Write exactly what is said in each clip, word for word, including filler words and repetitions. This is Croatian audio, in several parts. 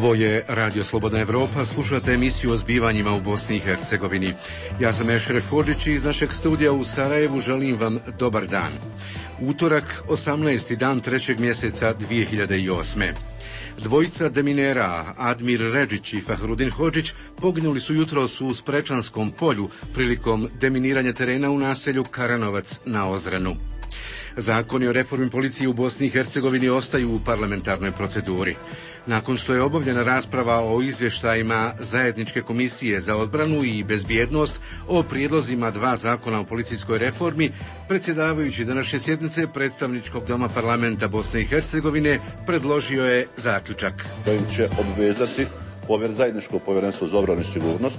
Ovo je Radio Slobodna Evropa, slušate emisiju o zbivanjima u Bosni i Hercegovini. Ja sam Ešref Hodžić i iz našeg studija u Sarajevu želim vam dobar dan. Utorak, osamnaesti dan trećeg mjeseca dvije hiljade osme. Dvojica deminera, Admir Redžić i Fahrudin Hodžić, poginuli su jutros u Sprečanskom polju prilikom deminiranja terena u naselju Karanovac na Ozrenu. Zakoni o reformi policije u Bosni i Hercegovini ostaju u parlamentarnoj proceduri. Nakon što je obavljena rasprava o izvještajima Zajedničke komisije za odbranu i bezbjednost o prijedlozima dva zakona o policijskoj reformi, predsjedavajući današnje sjednice Predstavničkog doma parlamenta Bosne i Hercegovine predložio je zaključak. Kojim će obvezati Zajedničko povjerenstvo za obranu i sigurnost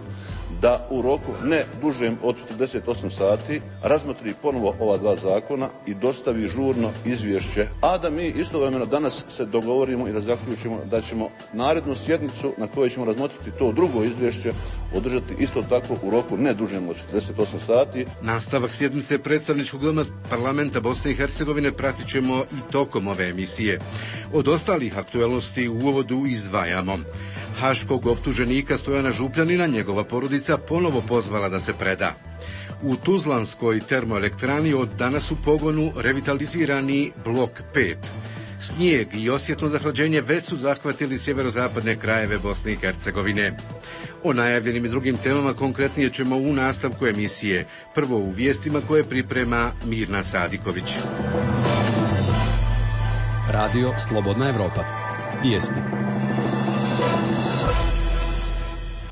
da u roku ne dužem od četrdeset osam sati razmotri ponovo ova dva zakona i dostavi žurno izvješće, a da mi istovremeno danas se dogovorimo i da zaključimo da ćemo narednu sjednicu na kojoj ćemo razmotriti to drugo izvješće održati isto tako u roku ne dužem od četrdeset osam sati. Nastavak sjednice Predstavničkog doma parlamenta Bosne i Hercegovine pratit ćemo i tokom ove emisije. Od ostalih aktualnosti u uvodu izdvajamo. Haškog optuženika Stojana Župljanina njegova porodica ponovo pozvala da se preda. U Tuzlanskoj termoelektrani od danas u pogonu revitalizirani blok pet. Snijeg i osjetno zahlađenje već su zahvatili sjeverozapadne krajeve Bosne i Hercegovine. O najavljenim i drugim temama konkretnije ćemo u nastavku emisije. Prvo u vijestima koje priprema Mirna Sadiković. Radio Slobodna Evropa. Vijesti.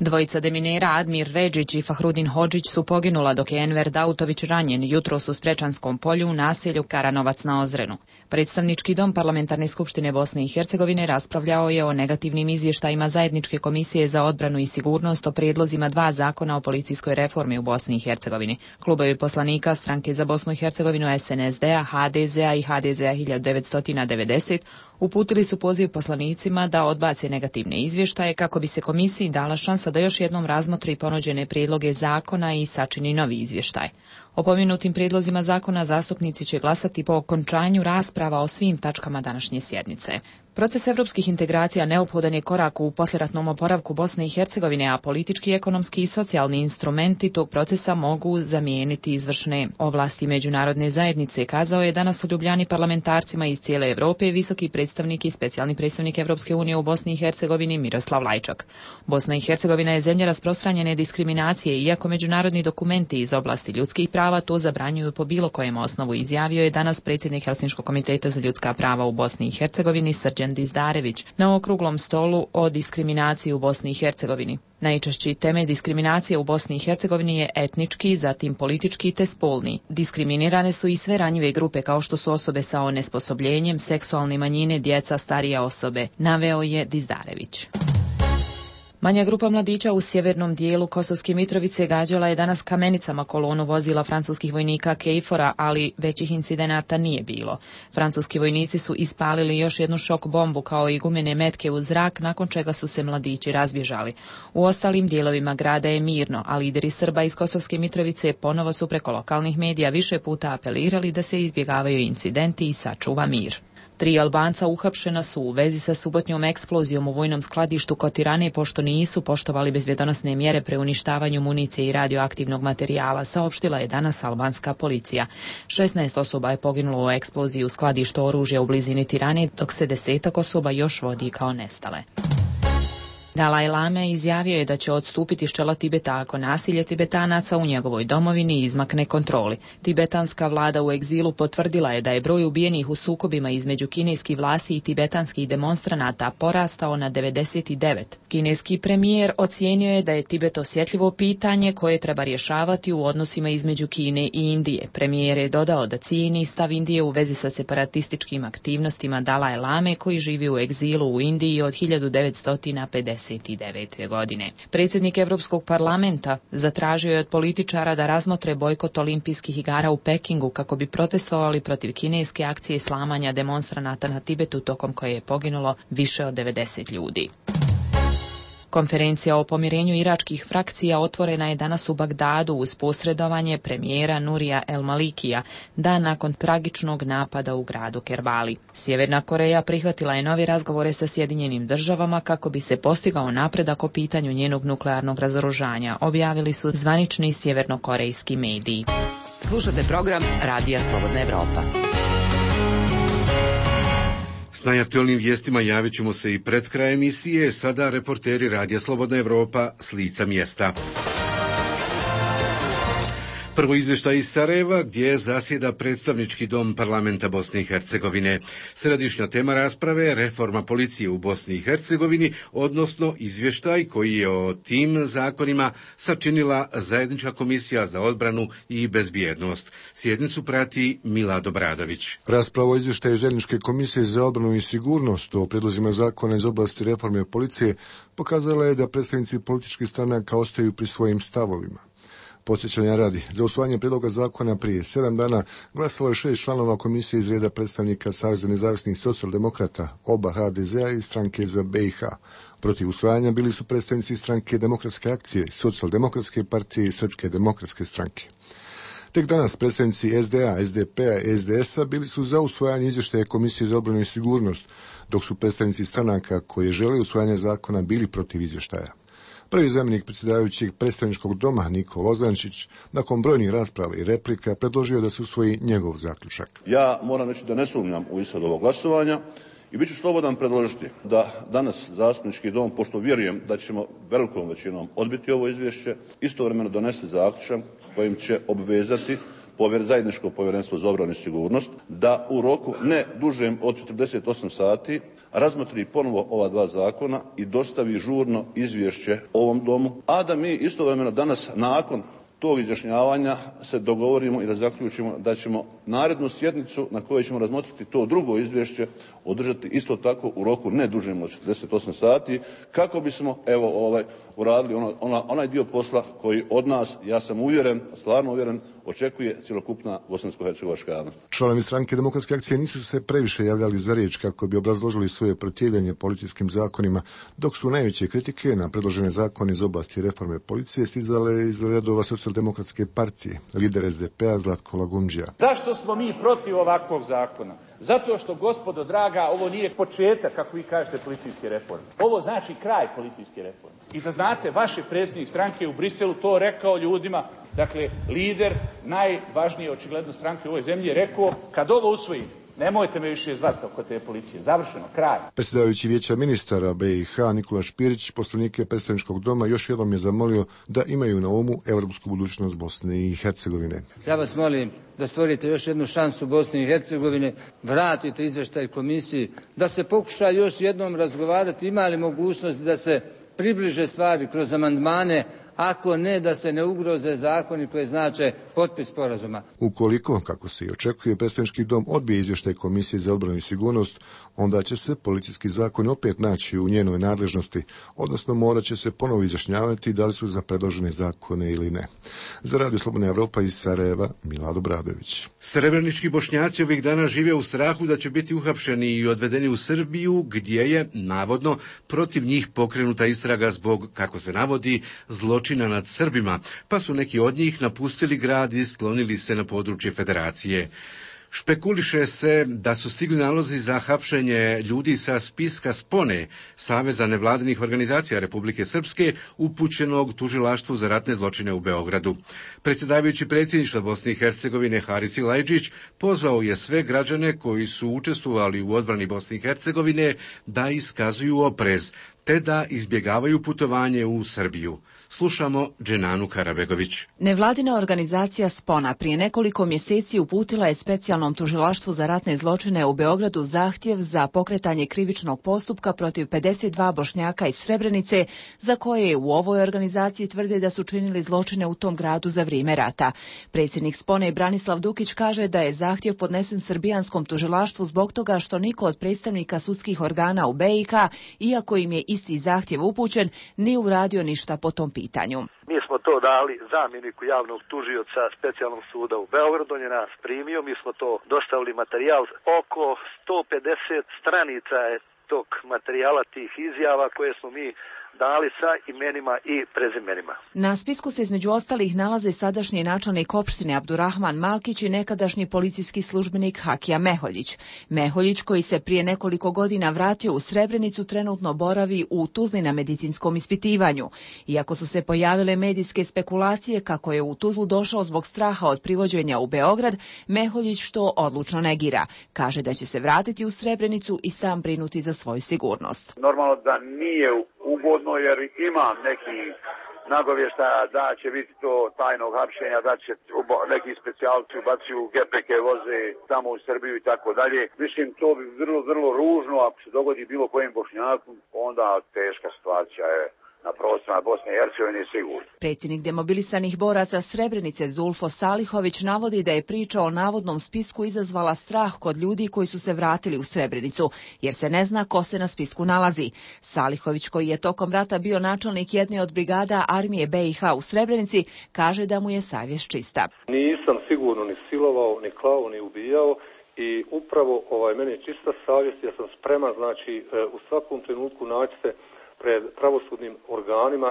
Dvojica deminera Admir Redžić i Fahrudin Hodžić su poginula dok je Enver Dautović ranjen jutros u Sprečanskom polju u naselju Karanovac na Ozrenu. Predstavnički dom Parlamentarne skupštine Bosne i Hercegovine raspravljao je o negativnim izvještajima Zajedničke komisije za odbranu i sigurnost o prijedlozima dva zakona o policijskoj reformi u Bosni i Hercegovini. Klubovi poslanika Stranke za Bosnu i Hercegovinu S N S D-a, H D Z-a i H D Z-a hiljadu devetsto devedeset uputili su poziv poslanicima da odbace negativne izvještaje kako bi se komisiji dala šansa da još jednom razmotri ponuđene prijedloge zakona i sačini novi izvještaj. O pomenutim prijedlozima zakona zastupnici će glasati po okončanju rasprava o svim tačkama današnje sjednice. Proces evropskih integracija neophodan je korak u poslijeratnom oporavku Bosne i Hercegovine, a politički, ekonomski i socijalni instrumenti tog procesa mogu zamijeniti izvršne ovlasti međunarodne zajednice, kazao je danas u Ljubljani parlamentarcima iz cijele Europe visoki predstavnik i specijalni predstavnik Evropske unije u Bosni i Hercegovini Miroslav Lajčak. Bosna i Hercegovina je zemlja rasprostranjene diskriminacije, iako međunarodni dokumenti iz oblasti ljudskih prava to zabranjuju po bilo kojem osnovu, izjavio je danas predsjednik Helsinškog komiteta za ljudska prava u Bosni i Hercegovini Srđan Dizdarević na okruglom stolu o diskriminaciji u Bosni i Hercegovini. Najčešći temelj diskriminacije u Bosni i Hercegovini je etnički, zatim politički te spolni. Diskriminirane su i sve ranjive grupe kao što su osobe sa onesposobljenjem, seksualne manjine, djeca, starije osobe, naveo je Dizdarević. Manja grupa mladića u sjevernom dijelu Kosovske Mitrovice gađala je danas kamenicama kolonu vozila francuskih vojnika Kejfora, ali većih incidenata nije bilo. Francuski vojnici su ispalili još jednu šok bombu kao i gumene metke u zrak, nakon čega su se mladići razbježali. U ostalim dijelovima grada je mirno, a lideri Srba iz Kosovske Mitrovice ponovo su preko lokalnih medija više puta apelirali da se izbjegavaju incidenti i sačuva mir. Tri Albanca uhapšena su u vezi sa subotnjom eksplozijom u vojnom skladištu kod Tirane pošto nisu poštovali bezbjedonosne mjere pre uništavanju municije i radioaktivnog materijala, saopštila je danas albanska policija. šesnaest osoba je poginulo u eksploziji u skladištu oružja u blizini Tirane, dok se desetak osoba još vodi kao nestale. Dalaj Lame izjavio je da će odstupiti s čela Tibeta ako nasilje Tibetanaca u njegovoj domovini izmakne kontroli. Tibetanska vlada u egzilu potvrdila je da je broj ubijenih u sukobima između kineskih vlasti i tibetanskih demonstranata porastao na devedeset devet. Kineski premijer ocijenio je da je Tibet osjetljivo pitanje koje treba rješavati u odnosima između Kine i Indije. Premijer je dodao da cijeni stav Indije u vezi sa separatističkim aktivnostima Dalaj Lame koji živi u egzilu u Indiji od hiljadu devetsto pedeset devete. godine. Predsjednik Europskog parlamenta zatražio je od političara da razmotre bojkot olimpijskih igara u Pekingu kako bi protestovali protiv kineske akcije slamanja demonstranata na Tibetu tokom koje je poginulo više od devedeset ljudi. Konferencija o pomirenju iračkih frakcija otvorena je danas u Bagdadu uz posredovanje premijera Nurija El Malikija, dan nakon tragičnog napada u gradu Kerbali. Sjeverna Koreja prihvatila je nove razgovore sa Sjedinjenim državama kako bi se postigao napredak o pitanju njenog nuklearnog razoružanja, objavili su zvanični sjevernokorejski mediji. Slušate program Radija Slobodna Evropa. S najaktualnim vijestima javit ćemo se i pred kraj emisije, sada reporteri Radija Slobodna Evropa s lica mjesta. Prvo izvještaj iz Sarajeva gdje zasjeda predstavnički dom parlamenta Bosne i Hercegovine. Središnja tema rasprave je reforma policije u Bosni i Hercegovini, odnosno izvještaj koji je o tim zakonima sačinila Zajednička komisija za odbranu i bezbjednost. Sjednicu prati Milado Bradović. Rasprava o izvještaju Zajedničke komisije za odbranu i sigurnost o prijedlozima zakona iz oblasti reforme policije pokazala je da predstavnici političkih stranaka ostaju pri svojim stavovima. Podsjećanja radi, za usvajanje prijedloga zakona prije sedam dana glasalo je šest članova komisije iz reda predstavnika Saveza nezavisnih socijaldemokrata, oba ha de zea i stranke za be i ha. Protiv usvajanja bili su predstavnici stranke Demokratske akcije, Socijaldemokratske partije i Srpske demokratske stranke. Tek danas predstavnici es de a, es de pe-a i es de es-a bili su za usvajanje izvještaja Komisije za odbranu i sigurnost, dok su predstavnici stranaka koje žele usvajanje zakona bili protiv izvještaja. Prvi zamjenik predsjedavajućeg predstavničkog doma Niko Lozančić, nakon brojnih rasprava i replika, predložio da se usvoji njegov zaključak. Ja moram reći da ne sumnjam u ishod ovog glasovanja i bit ću slobodan predložiti da danas zastupnički dom, pošto vjerujem da ćemo velikom većinom odbiti ovo izvješće, istovremeno donese zaključak kojim će obvezati zajedničko povjerenstvo za obranu i sigurnost da u roku ne dužem od četrdeset osam sati razmotri ponovo ova dva zakona i dostavi žurno izvješće ovom domu, a da mi istovremeno danas nakon tog izjašnjavanja se dogovorimo i da zaključimo da ćemo narednu sjednicu na kojoj ćemo razmotriti to drugo izvješće održati isto tako u roku ne dužem od četrdeset osam sati, kako bismo evo ovaj uradili ono, ona, onaj dio posla koji od nas, ja sam uvjeren, stvarno uvjeren, očekuje cjelokupna bosansko-hercegovačka javnost. Članovi stranke Demokratske akcije nisu se previše javljali za riječ kako bi obrazložili svoje protivljenje policijskim zakonima, dok su najveće kritike na predložene zakone iz oblasti reforme policije stizale iz redova Socijaldemokratske partije, lider es de pe-a Zlatko Lagundžija. Zašto smo mi protiv ovakvog zakona? Zato što, gospodo draga, ovo nije početak, kako vi kažete, policijske reforme. Ovo znači kraj policijske reforme. I da znate, vaš predsjednik stranke u Briselu to rekao ljudima, dakle, lider najvažnije očigledno stranke u ovoj zemlji je rekao, kad ovo usvojim, nemojte me više zvati oko te policije. Završeno, kraj. Predsjedavajući vijeća ministara be i ha Nikola Špirić, poslanike predstavničkog doma, još jednom je zamolio da imaju na umu evropsku budućnost Bosne i Hercegovine. Ja vas molim da stvorite još jednu šansu Bosne i Hercegovine, vratite izvještaj komisiji, da se pokuša još jednom razgovarati, ima li mogućnost da se približe stvari kroz amandmane, ako ne da se ne ugroze zakoni koji znače potpis sporazuma. Ukoliko, kako se i očekuje, predstavnički dom odbije izvještaj Komisije za odbranu i sigurnost, onda će se policijski zakon opet naći u njenoj nadležnosti, odnosno morat će se ponovo izjašnjavati da li su za predložene zakone ili ne. Za Radio Slobodna Evropa iz Sarajeva, Milado Bradović. Srebrenički Bošnjaci ovih dana žive u strahu da će biti uhapšeni i odvedeni u Srbiju, gdje je, navodno, protiv njih pokrenuta istraga zbog, kako se navodi, zločina nad Srbima, pa su neki od njih napustili grad i sklonili se na područje Federacije. Špekuliše se da su stigli nalozi za hapšenje ljudi sa spiska Spone, Saveza nevladinih organizacija Republike Srpske, upućenog tužilaštvu za ratne zločine u Beogradu. Predsjedavajući predsjedništva Bosne i Hercegovine Haris Ilajđić pozvao je sve građane koji su učestvovali u odbrani Bosne i Hercegovine da iskazuju oprez, te da izbjegavaju putovanje u Srbiju. Slušamo Dženanu Karabegović. Nevladina organizacija Spona prije nekoliko mjeseci uputila je specijalnom tužilaštvu za ratne zločine u Beogradu zahtjev za pokretanje krivičnog postupka protiv pedeset dva Bošnjaka iz Srebrenice, za koje u ovoj organizaciji tvrde da su činili zločine u tom gradu za vrijeme rata. Predsjednik Spone Branislav Dukić kaže da je zahtjev podnesen srbijanskom tužilaštvu zbog toga što niko od predstavnika sudskih organa u be i ha, iako im je isti zahtjev upućen, nije uradio ništa po tom pitanju. Mi smo to dali zamjeniku javnog tužioca specijalnog suda u Beogradu, on je nas primio, mi smo to dostavili materijal, oko sto pedeset stranica je tog materijala, tih izjava koje smo mi dali sa imenima i prezimenima. Na spisku se između ostalih nalaze sadašnji načelnik opštine Abdurrahman Malkić i nekadašnji policijski službenik Hakija Meholjić. Meholjić, koji se prije nekoliko godina vratio u Srebrenicu, trenutno boravi u Tuzli na medicinskom ispitivanju. Iako su se pojavile medijske spekulacije kako je u Tuzlu došao zbog straha od privođenja u Beograd, Meholjić to odlučno negira. Kaže da će se vratiti u Srebrenicu i sam brinuti za svoju sigurnost. Normalno da nije ugodno jer ima neki nagovještaja da će biti to tajnog hapšenja, da će neki specijalci ubacuju G P K voze tamo u Srbiju i tako dalje. Mislim, to bi vrlo, vrlo ružno ako se dogodi bilo kojem Bošnjaku, onda teška situacija je na prostorima Bosne i Hercegovine sigurno. Predsjednik demobilisanih boraca Srebrenice Zulfo Salihović navodi da je priča o navodnom spisku izazvala strah kod ljudi koji su se vratili u Srebrenicu, jer se ne zna ko se na spisku nalazi. Salihović, koji je tokom rata bio načelnik jedne od brigada armije B i H u Srebrenici, kaže da mu je savjest čista. Nisam sigurno ni silovao, ni klao, ni ubijao. I upravo ovaj, meni je čista savjest, ja sam spreman, znači u svakom trenutku naći se pred pravosudnim organima,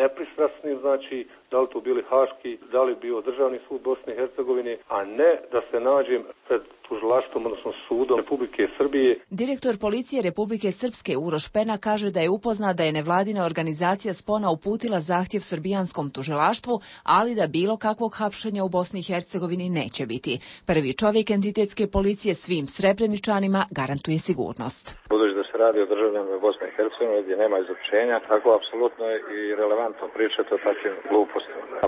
nepristrasnim, znači da li to bili haški, da li bio državni sud Bosne i Hercegovine, a ne da se nađem pred tužilaštvom, odnosno sudom Republike Srbije. Direktor policije Republike Srpske Uroš Pena kaže da je upoznat da je nevladina organizacija Spona uputila zahtjev srbijanskom tužilaštvu, ali da bilo kakvog hapšenja u Bosni i Hercegovini neće biti. Prvi čovjek entitetske policije svim Srebreničanima garantuje sigurnost. Budući da se radi o državljanima Bosne i Hercegovine gdje nema izručenja, tako apsolutno je i relevantno pričati o takvim glupostima.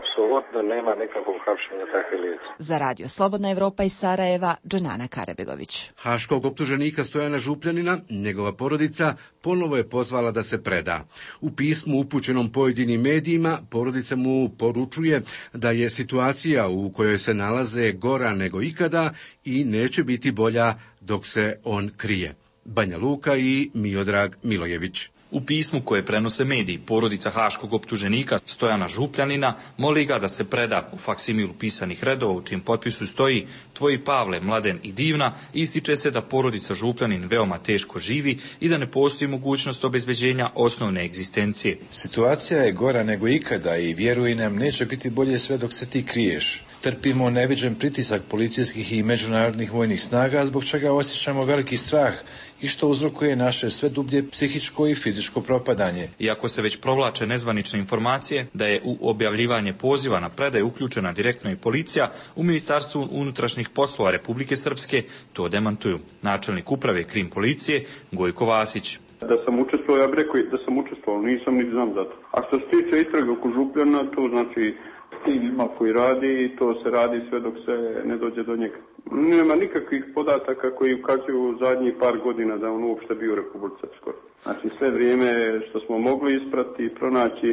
Apsolutno nema nikakvog hapšenja takvih lica. Za Radio Slobodna Evropa iz Sarajeva, Dženana Karabegović. Haškog optuženika Stojana Župljanina, njegova porodica, ponovo je pozvala da se preda. U pismu upućenom pojedinim medijima, porodica mu poručuje da je situacija u kojoj se nalaze gora nego ikada i neće biti bolja dok se on krije. Banja Luka i Miodrag Milojević. U pismu koje prenose mediji, porodica haškog optuženika Stojana Župljanina moli ga da se preda. U faksimilu pisanih redova u čijem potpisu stoji Tvoji Pavle, Mladen i Divna, ističe se da porodica Župljanin veoma teško živi i da ne postoji mogućnost obezbeđenja osnovne egzistencije. Situacija je gora nego ikada i vjeruj nam, neće biti bolje sve dok se ti kriješ. Trpimo neviđen pritisak policijskih i međunarodnih vojnih snaga, zbog čega osjećamo veliki strah i što uzrokuje naše sve dublje psihičko i fizičko propadanje. Iako se već provlače nezvanične informacije da je u objavljivanje poziva na predaju uključena direktno i policija, u Ministarstvu unutrašnjih poslova Republike Srpske to demantuju. Načelnik uprave Krim policije Gojko Vasić. Da sam učestvovao, ja bih rekao da sam učestvovao, nisam ni znam za to. A što se tiče istrage oko Župljana, to znači tim ima koji radi i to se radi sve dok se ne dođe do njega. Nema nikakvih podataka koji ukazuju zadnjih par godina da on uopšte bio u Republici Srpskoj. Znači sve vrijeme što smo mogli isprati i pronaći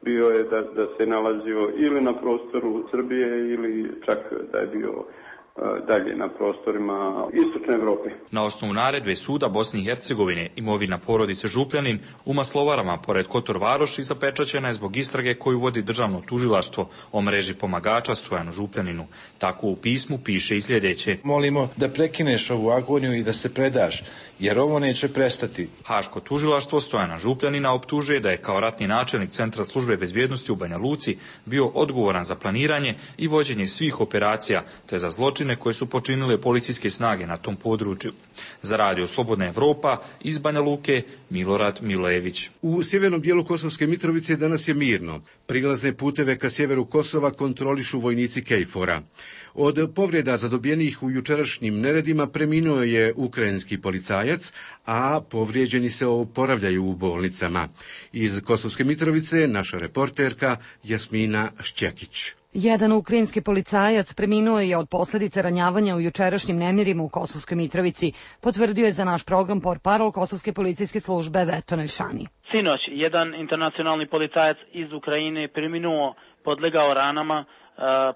bio je da, da se nalazio ili na prostoru Srbije ili čak da je bio dalje na prostorima istočne Evrope. Na osnovu naredbe suda Bosne i Hercegovine imovina porodice Župljanin u Maslovarama pored Kotor Varoši zapečaćena je zbog istrage koju vodi državno tužilaštvo o mreži pomagača Stojanu Župljaninu. Tako u pismu piše i sljedeće. Molimo da prekineš ovu agoniju i da se predaš, jer ovo neće prestati. Haško tužilaštvo Stojana Župljanina optužuje da je kao ratni načelnik Centra službe bezbjednosti u Banja Luci bio odgovoran za planiranje i vođenje svih operacija te za zločine koje su počinile policijske snage na tom području. Za Radio Slobodna Evropa iz Banja Luke Milorad Milojević. U sjevernom dijelu Kosovske Mitrovice danas je mirno. Prilazne puteve ka sjeveru Kosova kontrolišu vojnici Kejfora. Od povreda zadobijenih u jučerašnjim neredima preminuo je ukrajinski policajac, a povrijeđeni se oporavljaju u bolnicama. Iz Kosovske Mitrovice naša reporterka Jasmina Šćekić. Jedan ukrajinski policajac preminuo je od posljedica ranjavanja u jučerašnjim nemirima u Kosovskoj Mitrovici, potvrdio je za naš program portparol Kosovske policijske službe Veto Nelšani. Sinoć, jedan internacionalni policajac iz Ukrajine preminuo, podlegao ranama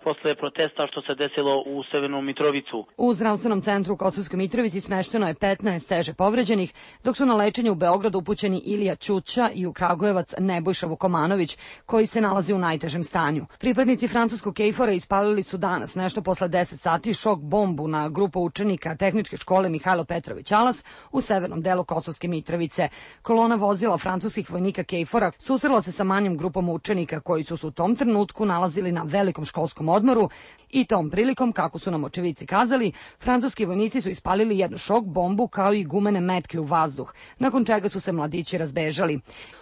posle protesta što se desilo u Severnu Mitrovicu. U zdravstvenom centru u Kosovskoj Mitrovici smešteno je petnaest teže povređenih, dok su na lečenje u Beogradu upućeni Ilija Ćuća i u Kragujevac Nebojša Vukomanović, koji se nalazi u najtežem stanju. Pripadnici francuskog Kejfora ispalili su danas, nešto posle deset sati, šok bombu na grupu učenika Tehničke škole Mihajlo Petrović Alas u severnom delu Kosovske Mitrovice. Kolona vozila francuskog francuskih vojnika Kejfora susrela se sa manjom grupom učenika koji su se u tom trenutku nalazili na velikom školskom odmoru i tom prilikom, kako su nam očevici kazali, francuski vojnici su ispalili jednu šok bombu kao i gumene metke u vazduh, nakon čega su se mladići razbežali.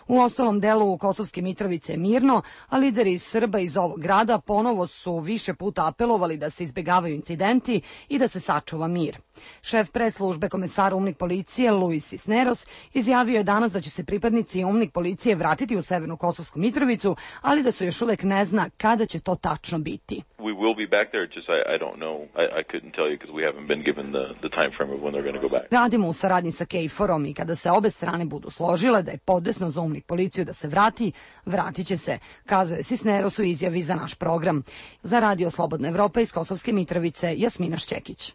U ostalom delu Kosovske Mitrovice je mirno, a lideri Srba iz ovog grada ponovo su više puta apelovali da se izbjegavaju incidenti i da se sačuva mir. Šef pres službe komesara UMNIK policije Luis Cisneros izjavio je danas da će se pripadnici UMNIK policije vratiti u Severnu Kosovsku Mitrovicu, ali da se još uvek ne zna kada će to tačno biti. We will be back there, just I, I don't know. I, I couldn't tell you because we haven't been given the, the time frame of when they're going to go back. Radimo u saradnji sa Kejforom i kada se obe strane budu složile da je podesno za UMNIK policiju da se vrati, vratit će se, kazao je Cisneros u izjavi za naš program. Za Radio Slobodna Evropa iz Kosovske Mitrovice, Jasmina Šćekić.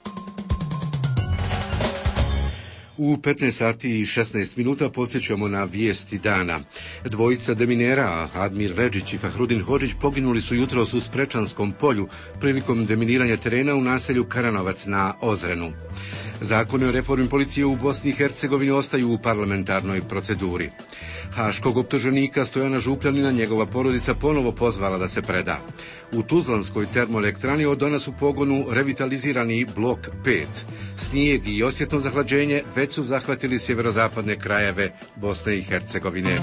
U petnaest sati i šesnaest minuta podsjećamo na vijesti dana. Dvojica deminera, Admir Redžić i Fahrudin Hodžić, poginuli su jutros u Sprečanskom polju prilikom deminiranja terena u naselju Karanovac na Ozrenu. Zakoni o reformi policije u Bosni i Hercegovini ostaju u parlamentarnoj proceduri. Haškog optuženika Stojana Župljanina njegova porodica ponovo pozvala da se preda. U Tuzlanskoj termoelektrani od danas u pogonu revitalizirani blok pet. Snijeg i osjetno zahlađenje već su zahvatili sjeverozapadne krajeve Bosne i Hercegovine.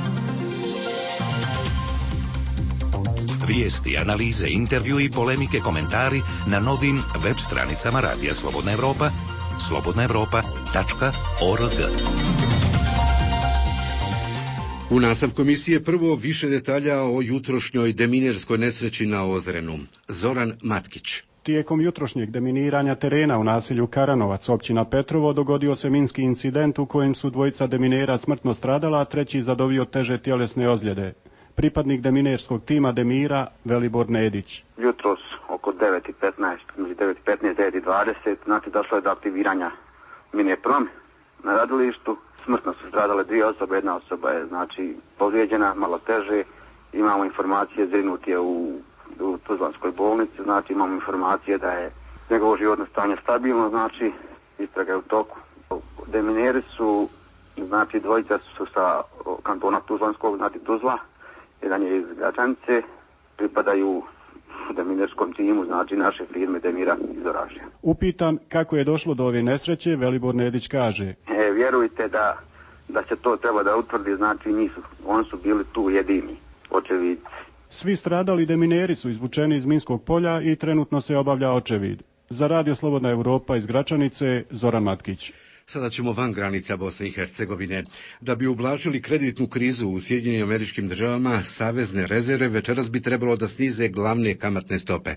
Vijesti, analize, intervju i polemike, komentari na novim web stranicama Radija Slobodna Evropa, slobodna evropa tačka org. U nastavku emisije prvo više detalja o jutrošnjoj deminerskoj nesreći na Ozrenu. Zoran Matkić. Tijekom jutrošnjeg deminiranja terena u naselju Karanovac, općina Petrovo, dogodio se minski incident u kojem su dvojica deminera smrtno stradala, a treći zadobio teže tjelesne ozljede. Pripadnik deminerskog tima Demira, Velibor Nedić. Jutros oko devet i petnaest, među devet i petnaest, devet i dvadeset, znači došlo je do aktiviranja mine prom na radilištu. Smrtno su stradale dvije osobe, jedna osoba je znači povrijeđena, malo teže. Imamo informacije, zrinut je u, u Tuzlanskoj bolnici, znači imamo informacije da je njegovo životno stanje stabilno, znači istraga je u toku. Demineri su, znači dvojica su sa kantona Tuzlanskog, znači Tuzla, jedan je iz Gračanice, pripadaju deminerskom timu, znači naše firme Demira iz Oražja. Upitan kako je došlo do ove nesreće, Velibor Nedić kaže: E, vjerujte da, da se to treba da utvrdi, znači nisu, oni su bili tu jedini očevidci. Svi stradali demineri su izvučeni iz minskog polja i trenutno se obavlja očevid. Za Radio Slobodna Evropa iz Gračanice, Zoran Matkić. Sada ćemo van granica Bosne i Hercegovine. Da bi ublažili kreditnu krizu u Sjedinjenim Američkim Državama, savezne rezerve večeras bi trebalo da snize glavne kamatne stope.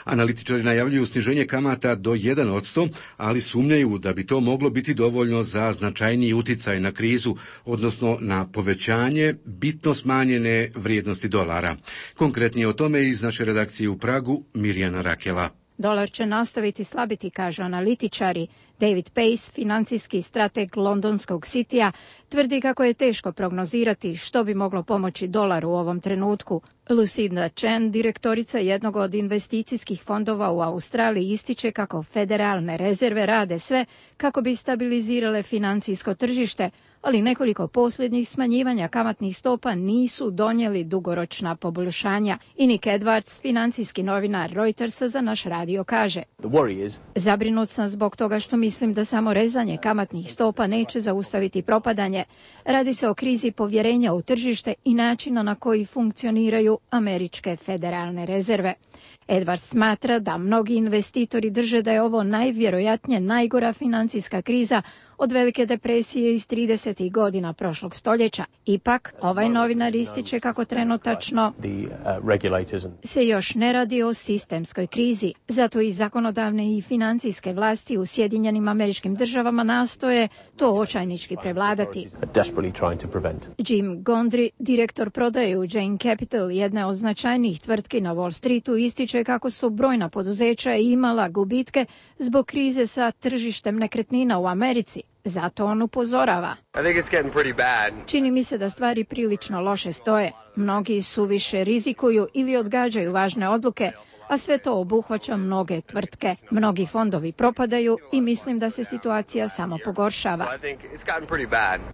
Analitičari najavljuju sniženje kamata do jedan posto, ali sumnjaju da bi to moglo biti dovoljno za značajniji uticaj na krizu, odnosno na povećanje bitno smanjene vrijednosti dolara. Konkretnije o tome iz naše redakcije u Pragu, Mirjana Rakela. Dolar će nastaviti slabiti, kažu analitičari. David Pace, financijski strateg londonskog Citya, tvrdi kako je teško prognozirati što bi moglo pomoći dolaru u ovom trenutku. Lucinda Chen, direktorica jednog od investicijskih fondova u Australiji, ističe kako federalne rezerve rade sve kako bi stabilizirale financijsko tržište, ali nekoliko posljednjih smanjivanja kamatnih stopa nisu donijeli dugoročna poboljšanja. I Nick Edwards, financijski novinar Reutersa, za naš radio kaže: Zabrinut sam zbog toga što mislim da samo rezanje kamatnih stopa neće zaustaviti propadanje. Radi se o krizi povjerenja u tržište i načina na koji funkcioniraju američke federalne rezerve. Edwards smatra da mnogi investitori drže da je ovo najvjerojatnije najgora financijska kriza od velike depresije iz tridesetih godina prošlog stoljeća. Ipak, ovaj novinar ističe kako trenutačno se još ne radi o sistemskoj krizi. Zato i zakonodavne i financijske vlasti u Sjedinjenim Američkim Državama nastoje to očajnički prevladati. Jim Gondry, direktor prodaje u Jane Capital, jedne od značajnijih tvrtki na Wall Streetu, ističe kako su brojna poduzeća imala gubitke zbog krize sa tržištem nekretnina u Americi. Zato on upozorava: Čini mi se da stvari prilično loše stoje. Mnogi suviše rizikuju ili odgađaju važne odluke, a sve to obuhvaća mnoge tvrtke. Mnogi fondovi propadaju i mislim da se situacija samo pogoršava.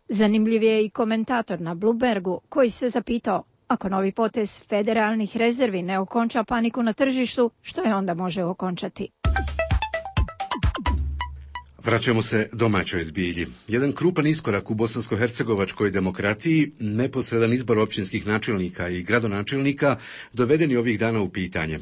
Zanimljiv je i komentator na Bloombergu koji se zapitao, ako novi potez federalnih rezervi ne okonča paniku na tržištu, što je onda može okončati? Vraćamo se domaćoj zbilji. Jedan krupan iskorak u bosansko-hercegovačkoj demokratiji, neposredan izbor općinskih načelnika i gradonačelnika, doveden je ovih dana u pitanje.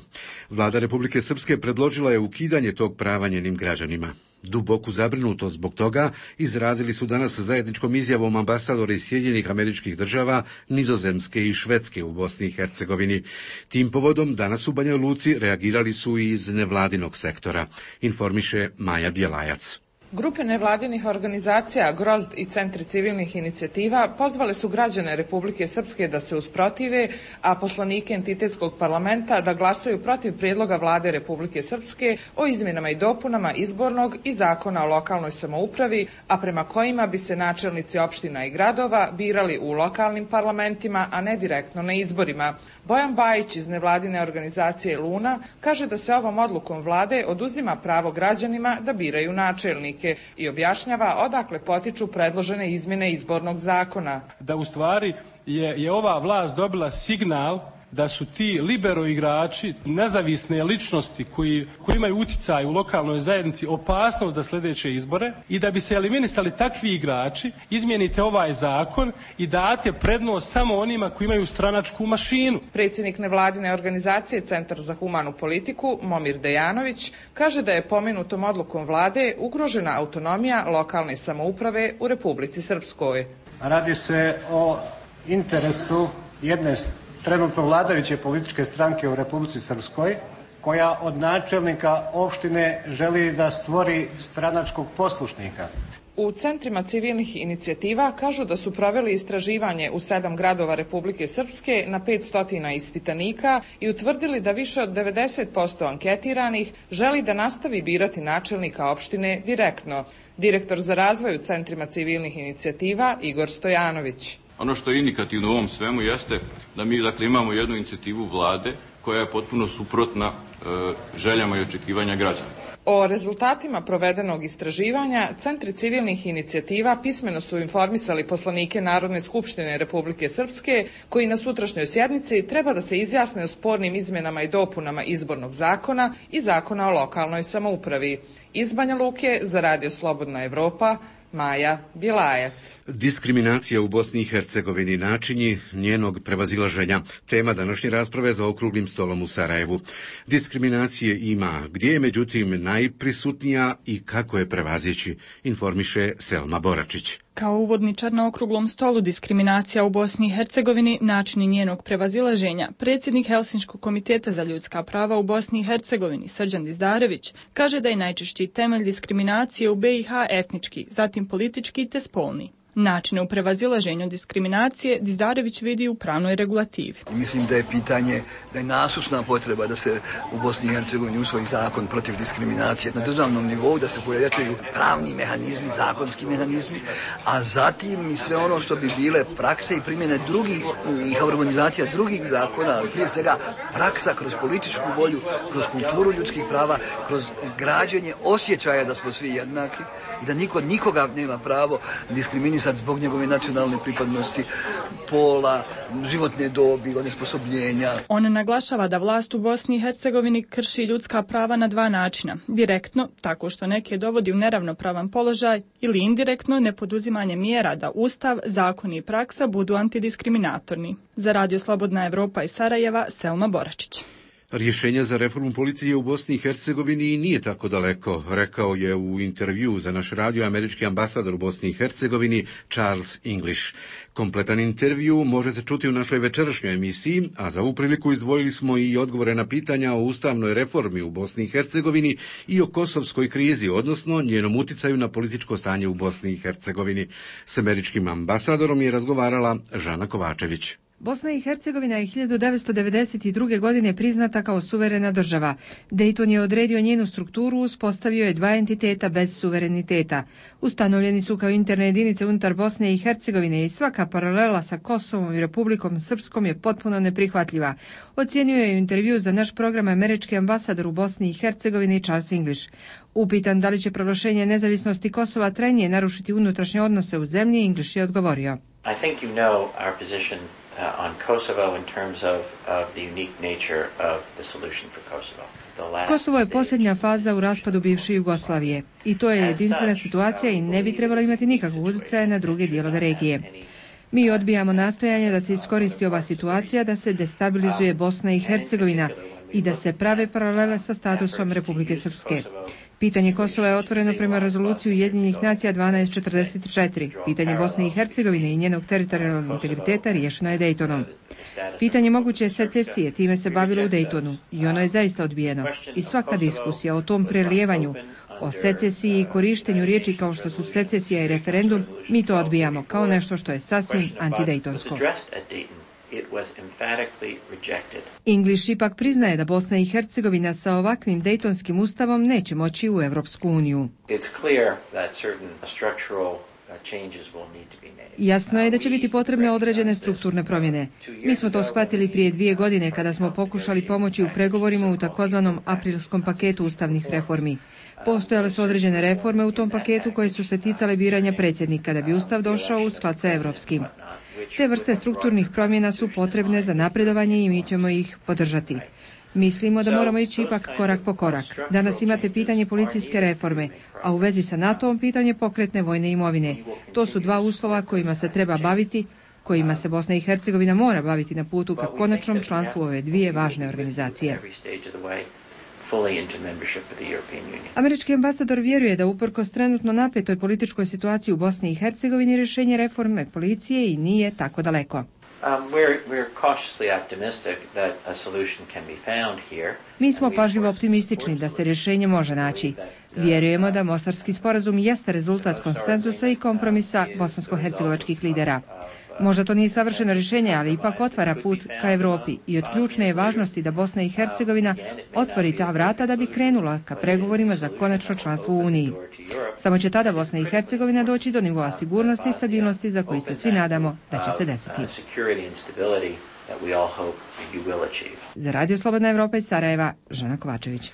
Vlada Republike Srpske predložila je ukidanje tog prava njenim građanima. Duboku zabrinutost zbog toga izrazili su danas zajedničkom izjavom ambasadori Sjedinjenih Američkih Država, Nizozemske i Švedske u Bosni i Hercegovini. Tim povodom danas u Banja Luci reagirali su i iz nevladinog sektora, informiše Maja Bjelajac. Grupe nevladinih organizacija, Grozd i Centri civilnih inicijativa pozvale su građane Republike Srpske da se usprotive, a poslanike entitetskog parlamenta da glasaju protiv prijedloga vlade Republike Srpske o izmjenama i dopunama izbornog i zakona o lokalnoj samoupravi, a prema kojima bi se načelnici opština i gradova birali u lokalnim parlamentima, a ne direktno na izborima. Bojan Bajić iz nevladine organizacije Luna kaže da se ovom odlukom vlade oduzima pravo građanima da biraju načelnike i objašnjava odakle potiču predložene izmjene izbornog zakona. Da u stvari je, je ova vlast dobila signal da su ti libero igrači, nezavisne ličnosti koji, koji imaju utjecaj u lokalnoj zajednici, opasnost za sljedeće izbore i da bi se eliminisali takvi igrači, izmijenite ovaj zakon i date prednost samo onima koji imaju stranačku mašinu. Predsjednik nevladine organizacije Centar za humanu politiku, Momir Dejanović, kaže da je pomenutom odlukom vlade ugrožena autonomija lokalne samouprave u Republici Srpskoj. Radi se o interesu jedne trenutno vladajuće političke stranke u Republici Srpskoj, koja od načelnika opštine želi da stvori stranačkog poslušnika. U centrima civilnih inicijativa kažu da su proveli istraživanje u sedam gradova Republike Srpske na petsto ispitanika i utvrdili da više od devedeset posto anketiranih želi da nastavi birati načelnika opštine direktno. Direktor za razvoj u centrima civilnih inicijativa Igor Stojanović. Ono što je indikativno u ovom svemu jeste da mi dakle imamo jednu inicijativu vlade koja je potpuno suprotna e, željama i očekivanja građana. O rezultatima provedenog istraživanja Centri civilnih inicijativa pismeno su informisali poslanike Narodne skupštine Republike Srpske, koji na sutrašnjoj sjednici treba da se izjasne o spornim izmjenama i dopunama izbornog zakona i zakona o lokalnoj samoupravi. Iz Banja Luke za Radio Slobodna Evropa, Maja Bjelajac. Diskriminacija u Bosni i Hercegovini, načini njenog prevazilaženja, tema današnje rasprave za okruglim stolom u Sarajevu. Diskriminacije ima, gdje je međutim najprisutnija i kako je prevazići, informiše Selma Boračić. Kao uvodničar na okruglom stolu diskriminacija u Bosni i Hercegovini, načini njenog prevazilaženja, predsjednik Helsinškog komiteta za ljudska prava u Bosni i Hercegovini, Srđan Dizdarević, kaže da je najčešći temelj diskriminacije u B i H etnički, zatim politički te spolni. Načine u prevazilaženju diskriminacije Dizdarević vidi u pravnoj regulativi. Mislim da je pitanje, da je nasušna potreba da se u Bosni i Hercegovini usvoji zakon protiv diskriminacije na državnom nivou, da se pojačaju pravni mehanizmi, zakonski mehanizmi, a zatim i sve ono što bi bile prakse i primjene drugih i harmonizacija drugih zakona, ali prije svega praksa kroz političku volju, kroz kulturu ljudskih prava, kroz građenje osjećaja da smo svi jednaki i da niko nikoga nema pravo diskriminirati zbog njegove nacionalne pripadnosti, pola, životne dobi, onesposobljenja. On naglašava da vlast u Bosni i Hercegovini krši ljudska prava na dva načina. Direktno, tako što neke dovodi u neravnopravan položaj, ili indirektno, nepoduzimanje mjera da ustav, zakoni i praksa budu antidiskriminatorni. Za Radio Slobodna Evropa iz Sarajeva, Selma Boračić. Rješenje za reformu policije u Bosni i Hercegovini nije tako daleko, rekao je u intervju za naš radio američki ambasador u Bosni i Hercegovini Charles English. Kompletan intervju možete čuti u našoj večerašnjoj emisiji, a za ovu priliku izdvojili smo i odgovore na pitanja o ustavnoj reformi u Bosni i Hercegovini i o kosovskoj krizi, odnosno njenom uticaju na političko stanje u Bosni i Hercegovini. S američkim ambasadorom je razgovarala Žana Kovačević. Bosna i Hercegovina je hiljadu devetsto devedeset druge. godine priznata kao suverena država. Dayton je odredio njenu strukturu, uspostavio je dva entiteta bez suvereniteta. Ustanovljeni su kao interne jedinice unutar Bosne i Hercegovine i svaka paralela sa Kosovom i Republikom Srpskom je potpuno neprihvatljiva. Ocijenio je u intervju za naš program američki ambasador u Bosni i Hercegovini Charles English. Upitan da li će proglašenje nezavisnosti Kosova trajnije narušiti unutrašnje odnose u zemlji, English je odgovorio. I think you know our position uh, on Kosovo in terms of, of the unique nature of the solution for Kosovo. Kosovo je posljednja faza u raspadu bivše Jugoslavije i to je jedinstvena situacija i ne bi trebalo imati nikakvog utjecaja na druge dijelove regije. Mi odbijamo nastojanje da se iskoristi ova situacija, da se destabilizuje Bosna i Hercegovina i da se prave paralele sa statusom Republike Srpske. Pitanje Kosova je otvoreno prema rezoluciji Ujedinjenih nacija dvanaest četrdeset četiri. Pitanje Bosne i Hercegovine i njenog teritorijalnog integriteta riješeno je Daytonom. Pitanje moguće secesije time se bavilo u Daytonu i ono je zaista odbijeno. I svaka diskusija o tom prelijevanju, o secesiji i korištenju riječi kao što su secesija i referendum, mi to odbijamo kao nešto što je sasvim antidejtonsko. English ipak priznaje da Bosna i Hercegovina sa ovakvim Dejtonskim ustavom neće moći u Evropsku uniju. Jasno je da će biti potrebne određene strukturne promjene. Mi smo to shvatili prije dvije godine kada smo pokušali pomoći u pregovorima u takozvanom aprilskom paketu ustavnih reformi. Postojale su određene reforme u tom paketu koje su se ticale biranja predsjednika da bi ustav došao u sklad sa evropskim. Te vrste strukturnih promjena su potrebne za napredovanje i mi ćemo ih podržati. Mislimo da moramo ići ipak korak po korak. Danas imate pitanje policijske reforme, a u vezi sa NATO-om pitanje pokretne vojne imovine. To su dva uslova kojima se treba baviti, kojima se Bosna i Hercegovina mora baviti na putu ka konačnom članstvu ove dvije važne organizacije. Američki ambasador vjeruje da uprkos trenutno napetoj političkoj situaciji u Bosni i Hercegovini rješenje reforme policije i nije tako daleko. Um, we're, we're cautiously optimistic that a solution can be found here. Mi smo pažljivo optimistični da se rješenje može naći. Vjerujemo da Mostarski sporazum jeste rezultat konsenzusa i kompromisa bosansko-hercegovačkih lidera. Možda to nije savršeno rješenje, ali ipak otvara put ka Europi i od ključne je važnosti da Bosna i Hercegovina otvori ta vrata da bi krenula ka pregovorima za konačno članstvo u Uniji. Samo će tada Bosna i Hercegovina doći do nivoa sigurnosti i stabilnosti za koji se svi nadamo da će se desiti. Za Radio Slobodna Evropa iz Sarajeva, Žana Kovačević.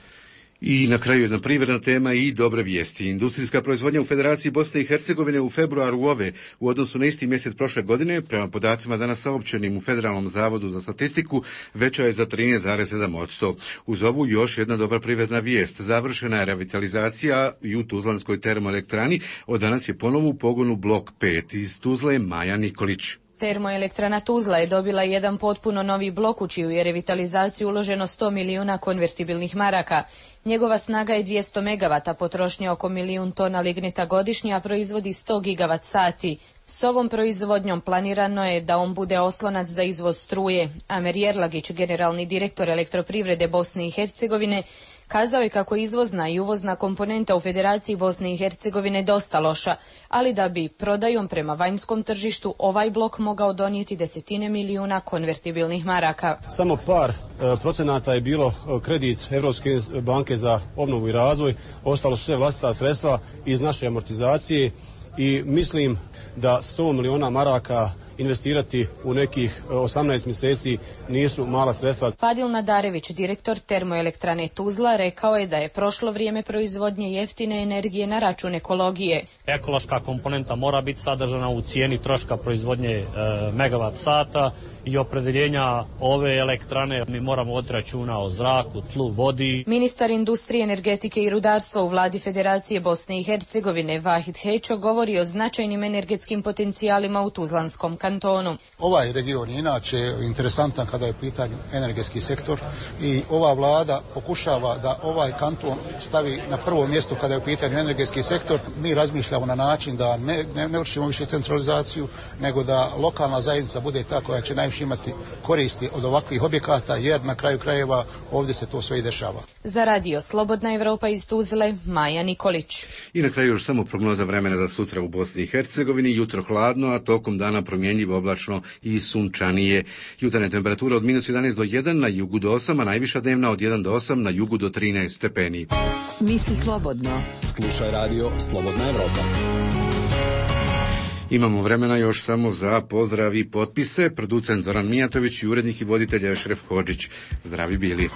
I na kraju jedna privredna tema i dobre vijesti. Industrijska proizvodnja u Federaciji Bosne i Hercegovine u februaru ove u odnosu na isti mjesec prošle godine, prema podacima danas saopćenim u Federalnom zavodu za statistiku, veća je za trinaest zarez sedam posto. Uz ovu još jedna dobra privredna vijest. Završena je revitalizacija i u Tuzlanskoj termoelektrani. Od danas je ponovo u pogonu blok pet. Iz Tuzle Maja Nikolić. Termoelektrana Tuzla je dobila jedan potpuno novi blok u čiju je revitalizaciju uloženo sto milijuna konvertibilnih maraka. Njegova snaga je dvjesto megavata, potrošnja oko milijun tona lignita godišnje, a proizvodi sto gigavat sati. S ovom proizvodnjom planirano je da on bude oslonac za izvoz struje. Amer Jerlagić, generalni direktor elektroprivrede Bosne i Hercegovine, kazao je kako izvozna i uvozna komponenta u Federaciji Bosne i Hercegovine dosta loša, ali da bi prodajom prema vanjskom tržištu ovaj blok mogao donijeti desetine milijuna konvertibilnih maraka. Samo par e, procenata je bilo kredit Evropske banke za obnovu i razvoj, ostalo su sve vlastita sredstva iz naše amortizacije i mislim da sto milijuna maraka investirati u nekih osamnaest mjeseci nisu mala sredstva. Fadil Nadarević, direktor termoelektrane Tuzla, rekao je da je prošlo vrijeme proizvodnje jeftine energije na račun ekologije. Ekološka komponenta mora biti sadržana u cijeni troška proizvodnje e, megavat sata i opredeljenja ove elektrane. Mi moramo voditi računa o zraku, tlu, vodi. Ministar industrije, energetike i rudarstva u vladi Federacije Bosne i Hercegovine Vahid Hećo govori o značajnim energetskim potencijalima u Tuzlanskom kantonu. Ovaj region je inače interesantan kada je u pitanju energetski sektor i ova vlada pokušava da ovaj kanton stavi na prvo mjesto kada je u pitanju energetski sektor. Mi razmišljamo na način da ne, ne, ne vršimo više centralizaciju, nego da lokalna zajednica bude ta koja će najviše nećeš imati koristi od ovakvih objekata, jer na kraju krajeva ovdje se to sve i dešava. Za radio Slobodna Evropa iz Tuzle, Maja Nikolić. I na kraju još samo prognoza vremena za sutra u Bosni i Hercegovini. Jutro hladno, a tokom dana promjenjivo, oblačno i sunčanije. Jutarnja temperatura od minus jedanaest do jedan, na jugu do osam, a najviša dnevna od jedan do osam, na jugu do trinaest stepeni. Misli slobodno. Slušaj radio Slobodna Evropa. Imamo vremena još samo za pozdrav i potpise. Producent Zoran Mijatović i urednik i voditelj Ešref Hodžić. Zdravi bili.